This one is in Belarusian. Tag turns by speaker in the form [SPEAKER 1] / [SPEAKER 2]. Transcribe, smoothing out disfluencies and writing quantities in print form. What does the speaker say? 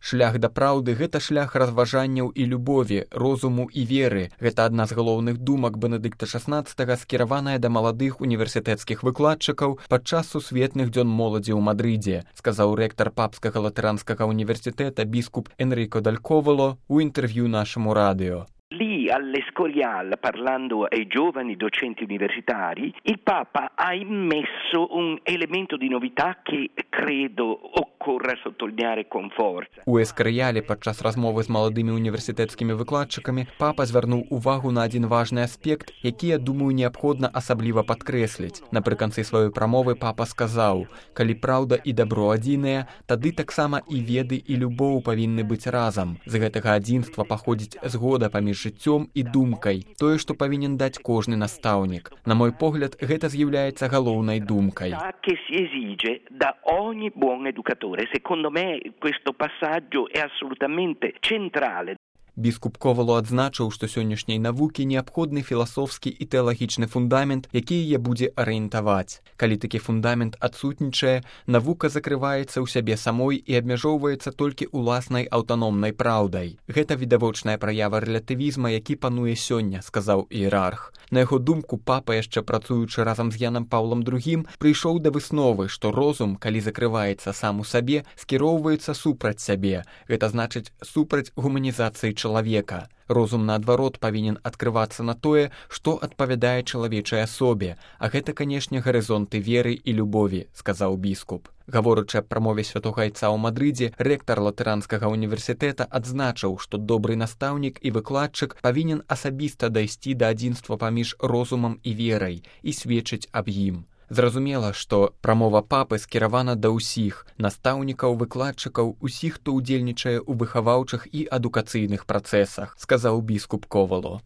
[SPEAKER 1] Шлях да праўды – гэта шлях разважанняў і любові, розуму і веры. Гэта адна з галоўных думак Бенедыкта XVI, скіраваная да маладых універсітэцкіх выкладчыкаў падчас сусветных дзён моладзі ў Мадрыдзе, сказаў рэктар Папскага латэранскага універсітэта біскуп Энрико Даль Ковало у інтэрв'ю нашаму радыё.
[SPEAKER 2] Lì all'Escorial, parlando ai giovani docenti universitari, il Papa ha immesso un elemento di novità che credo occorra sottolineare con forza.
[SPEAKER 1] У Эскарыяле падчас размовы з маладымі універсітэцкімі выкладчыкамі папа звярнуў увагу на адзін важны аспект, які, я думаю, неабходна асабліва падкрэсліць. Напрыканцы сваёй прамовы папа сказаў: «Калі праўда і дабро адзіныя, тады таксама і веды і любоў павінны быць разам. З гэтага адзінства паходзіць згода паміж жыццём і думкай, тое, што павінен даць кожны настаўнік. На мой погляд, гэта з'яўляецца галоўнай думкай».
[SPEAKER 2] Che si esige da ogni buon educatore. Secondo me questo passaggio è assolutamente centrale.
[SPEAKER 1] Біскуп Ковало адзначыў, што сённяшняй навукі неабходны філасофскі і тэалагічны фундамент, які яе будзе арыентаваць. Калі такі фундамент адсутнічае, навука закрываецца ў сябе самой і абмяжоўваецца толькі ўласнай аўтаномнай праўдай. Гэта відавочная праява рэлятывізма, які пануе сёння, сказаў іерарх. На яго думку, папа, яшчэ працуючы разам з Янам Паўлам II, прыйшоў да высновы, што розум, калі закрываецца сам у сабе, скіроўваецца супраць сябе. Гэта значыць супраць гуманізацыі чалавека. Розум, наадварот, павінен адкрывацца на тое, што адпавядае чалавечай асобе, а гэта, канешне, гарызонты веры і любові, сказаў біскуп. Гаворачы аб прамове святога айца ў Мадрыдзе, рэктар латыранскага універсітэта адзначыў, што добры настаўнік і выкладчык павінен асабіста дайсці да адзінства паміж розумам і верай і сведчыць аб ім. Зразумела, што прамова папы скіравана да ўсіх настаўнікаў, выкладчыкаў, усіх, хто ўдзельнічае ў выхаваўчых і адукацыйных працэсах, сказаў біскуп Ковало.